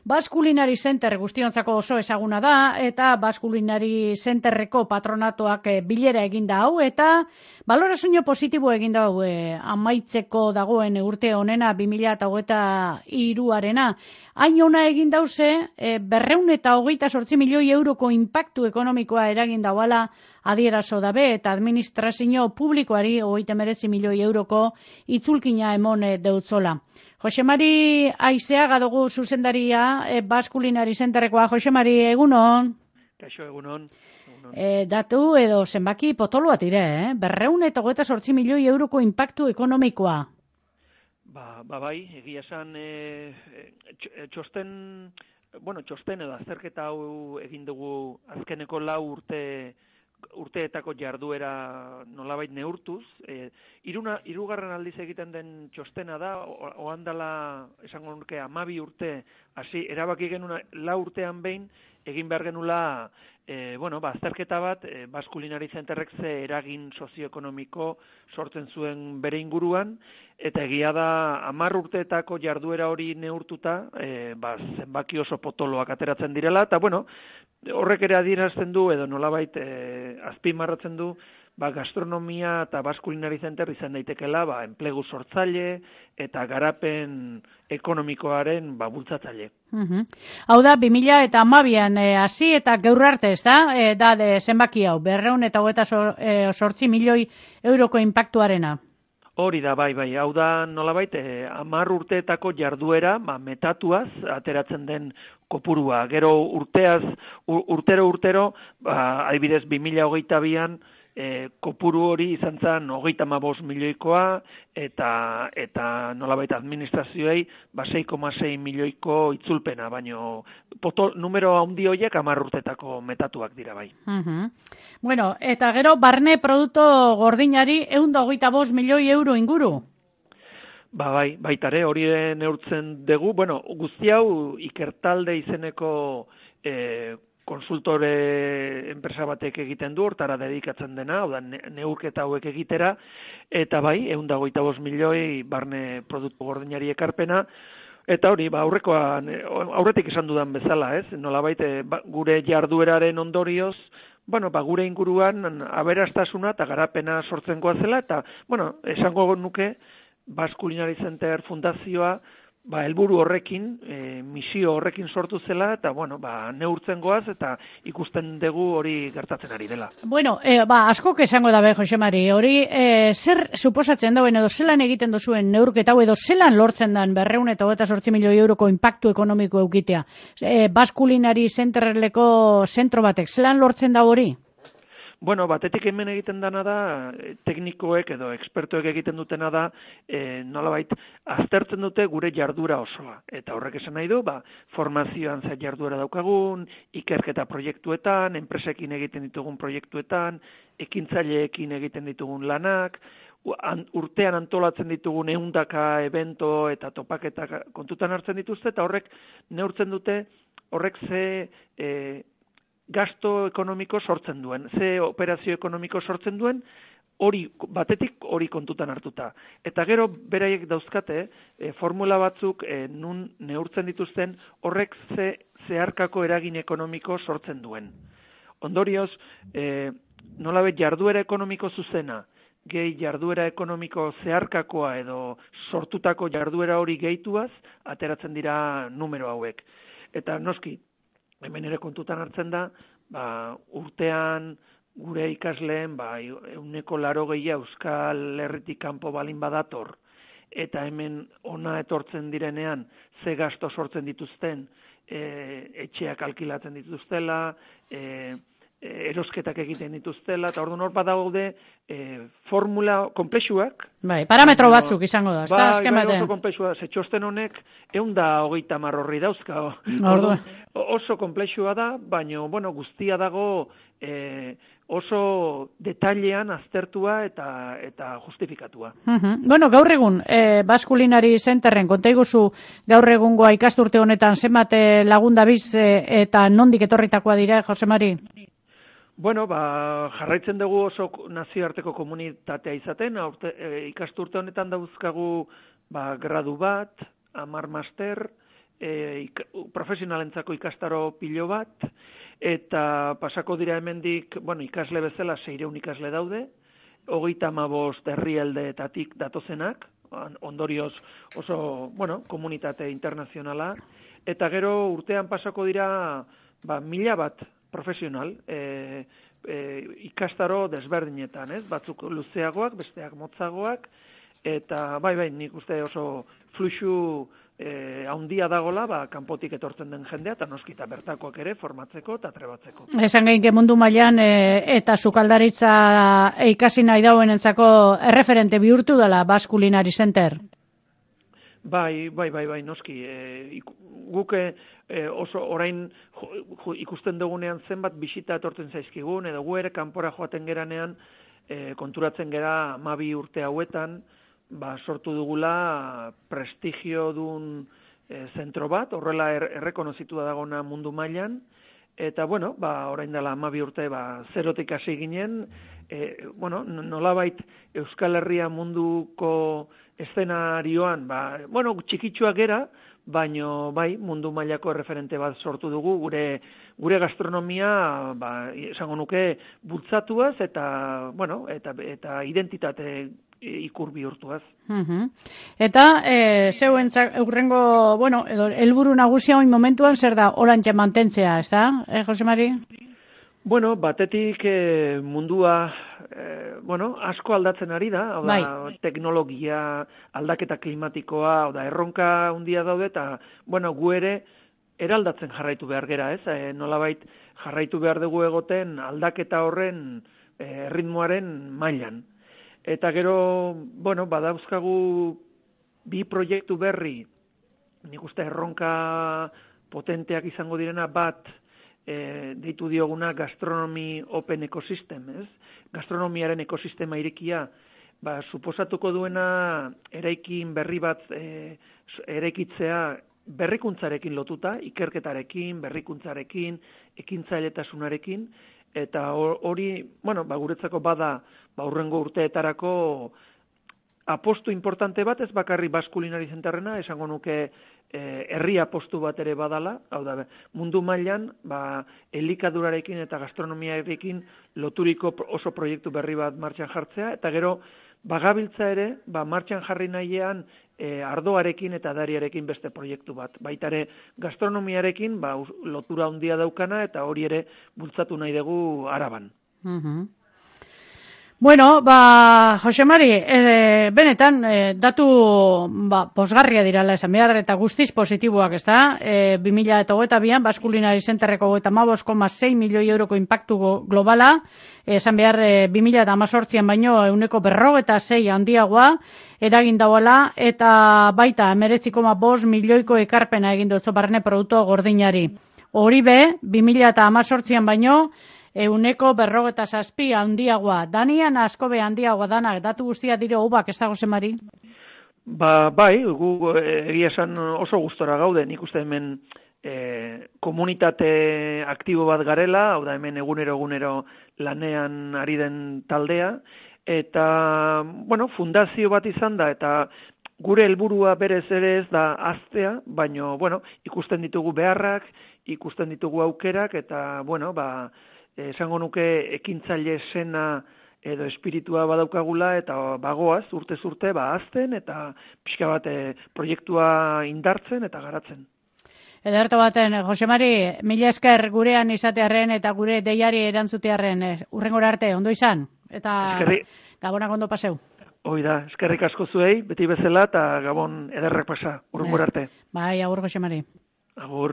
Basque Culinary Center guztiontzako oso ezaguna da, eta Basque Culinary Centerreko patronatoak bilera eginda hau, eta balorazio positibo eginda hau amaitzeko dagoen urte honena 2023arena. Hain ona egin dauze, 228 milioi euroko inpaktu ekonomikoa eragin dauala adierazo dabe, eta administrazio publikoari 39 milioi euroko itzulkina emon deutzola. Jose Mari Aizeaga dugu zuzendaria Basque Culinary Centerrekoa. Jose Mari, egunon? Kaixo, egunon. Datu edo zenbaki potoloa tire, 228 milioi euroko inpaktu ekonomikoa. Bai, egia esan txosten edo azterketa hau egin dugu azkeneko 4 urteetako jarduera nolabait neurtuz. Hirugarren aldiz egiten den txostena da, ohandala esango nuke 12 urte, hasi erabaki genuen 4 urtean behin egin behar genula azterketa bat, Basque Culinary Centerrek ze eragin sozioekonomiko sortzen zuen bere inguruan, eta egia da 10 urteetako jarduera hori neurtuta, zenbaki oso potoloak ateratzen direla, eta horrek ere adierazten du, edo nolabait azpimarratzen du, gastronomia eta Basque Culinary Center izan daitekela enplegu sortzaile eta garapen ekonomikoaren bultzatzaile. Hau da, 2012an hasi eta gaur arte, ez da? Da zenbaki hau, 228 milioi euroko inpaktuarena. Hori da, bai, hau da nolabait 10 urteetako jarduera metatuaz ateratzen den kopurua. Gero urtero, adibidez 2022an kopuru hori izan zen 35 milioikoa, eta nolabait administrazioei 6,6 milioiko itzulpena, baino numero handi horiek 10 urtetako metatuak dira bai. Eta gero barne produktu gordinari 125 milioi euro inguru. Baitare, hori neurtzen dugu, guzti hau Ikertalde izeneko konsultore enpresa batek egiten du, hortara dedikatzen dena, neurketa hauek egitera, eta 125 milioi barne produktu gordinari ekarpena, eta hori, aurretik esan dudan bezala, ez? Nolabait, gure jardueraren ondorioz, gure inguruan aberastasuna eta garapena sortzen goazela, eta, esango nuke, Basque Culinary Center fundazioa, helburu horrekin, misio horrekin sortu zela, eta, neurtzen goaz, eta ikusten dugu hori gertatzen ari dela. Askok esango dabe, Jose Mari, hori zer suposatzen dauen edo zelan egiten duzuen neurketa hau edo zelan lortzen den 228 milioi euroko inpaktu ekonomiko eukitea? Basque Culinary Centerreko zentro batek, zelan lortzen da hori? Batetik hemen egiten dana da, teknikoek edo ekspertoek egiten dutena da, nolabait, aztertzen dute gure jardura osoa. Eta horrek esan nahi du, formazioan zer jardura daukagun, ikerketa proiektuetan, enpresekin egiten ditugun proiektuetan, ekintzaileekin egiten ditugun lanak, urtean antolatzen ditugun 100 evento eta topaketak kontutan hartzen dituzte, eta horrek neurtzen dute, horrek ze gasto ekonomiko sortzen duen, ze operazio ekonomiko sortzen duen, batetik hori kontutan hartuta. Eta gero beraiek dauzkate, formula batzuk nun neurtzen dituzten, horrek ze zeharkako eragin ekonomiko sortzen duen. Ondorioz, nolabait jarduera ekonomiko zuzena, gehi jarduera ekonomiko zeharkakoa edo sortutako jarduera hori gehituaz, ateratzen dira numero hauek. Eta noski, hemen ere kontutan hartzen da, urtean gure ikasleen 180 Euskal Herritik kanpo balin badator, eta hemen ona etortzen direnean ze gasto sortzen dituzten, etxeak alkilatzen dituztela, erosketak egiten dituztela, eta orduan hor badaude formula komplexuak. Parametro batzuk izango da, ezta azken batean. Oso komplexua, txosten honek 130 horri dauzka. Oso komplexua da, baina guztia dago oso detailean aztertua eta justifikatua. Gaur egun, Basque Culinary Centerren konta iguzu gaur egungoa ikasturte honetan zenbat lagun dabiz eta nondik etorritakoa dira, Jose Mari? Jarraitzen dugu oso nazioarteko komunitatea izaten, ikasturte honetan dauzkagu gradu bat, 10 master, profesionalentzako ikastaro pilo bat, eta pasako dira hemendik, ikasle bezala 600 ikasle daude, 35 herrialdeetatik datozenak, ondorioz oso, komunitate internazionala, eta gero urtean pasako dira 1000 bat profesional, ikastaro desberdinetan, ez? Batzuk luzeagoak, besteak motzagoak, eta bai, nik uste oso fluxu haundia dagola, kanpotik etortzen den jendea, eta noskita bertakoak ere formatzeko eta trebatzeko. Esan gain mundu mailan eta sukaldaritza ikasi nahi dauenentzako erreferente bihurtu dela Basque Culinary Center. Bai, noski. Guk oso orain ikusten dugunean zenbat bisita etortzen zaizkigun, edo gu ere kanpora joaten geranean konturatzen gera 12 urte hauetan, sortu dugula prestigio dun zentro bat, horrela errekonozitua dagona mundu mailan, eta orain dela 12 urte zerotik hasi ginen, nolabait Euskal Herria munduko eszenarioan, txikitsuak gera, baino mundu mailako erreferente bat sortu dugu, gure gastronomia, esango nuke, bultzatuaz eta identitate ikur bihurtuaz. Eta zeuentzak eurrengo, edo helburu nagusia oin momentuan zer da orantxe mantentzea, ez da, Jose Mari? Batetik mundua asko aldatzen ari da, teknologia, aldaketa klimatikoa, erronka handia daude, eta gu ere eraldatzen jarraitu behar gera, ez? Nolabait jarraitu behar dugu egoten aldaketa horren ritmoaren mailan. Eta gero, badauzkagu bi proiektu berri, nik uste erronka potenteak izango direna bat, deitu dioguna gastronomi open ecosystem, ez? Gastronomiaren ekosistema irekia, suposatuko duena eraikin berri bat eraikitzea berrikuntzarekin lotuta, ikerketarekin, berrikuntzarekin, ekintzailetasunarekin, eta hori, guretzako bada, hurrengo urteetarako apostu importante bat, ez bakarri Basque Culinary Centerrena, esango nuke herri apostu bat ere badala, hau da, mundu mailan, elikadurarekin eta gastronomiarekin loturiko oso proiektu berri bat martxan jartzea, eta gero, bagabiltza ere, martxan jarri nahian ardoarekin eta dariarekin beste proiektu bat. Baita ere, gastronomiarekin lotura handia daukana, eta hori ere bultzatu nahi dugu Araban. Jose Mari, benetan, datu posgarria dirala esan behar, eta guztiz positiboak, ez da? 2022an, Basque Culinary Centerreko 55,6 milioi euroko impactu globala, esan behar 2018an baino 146 handiagoa eragin dauala, eta baita 19,5 milioiko ekarpena egin dutzo barne produktu gordinari. Hori 2018an baino 147 handiagoa. Danian asko be handiagoa danak, datu guztia dire hobak, ez da, Jose Mari? Bai, gu egia esan oso gustora gaude, nik uste hemen komunitate aktibo bat garela, hau da hemen egunero lanean ari den taldea, eta, fundazio bat izan da, eta gure helburua berez ere ez da haztea, baino, ikusten ditugu beharrak, ikusten ditugu aukerak, eta, esango nuke ekintzaile sena edo espiritua badaukagula, eta bagoaz, urtez urte, hazten, eta pixka bat proiektua indartzen eta garatzen. Ederto baten, Jose Mari, mila esker gurean izatearren eta gure deiari erantzutearren, hurrengora arte, ondo izan, eta gabonak ondo paseu. Hoi da, eskerrik asko zuei, beti bezala, eta gabon ederrak pasa, hurrengora arte. Bai, agur, Jose Mari. Agur.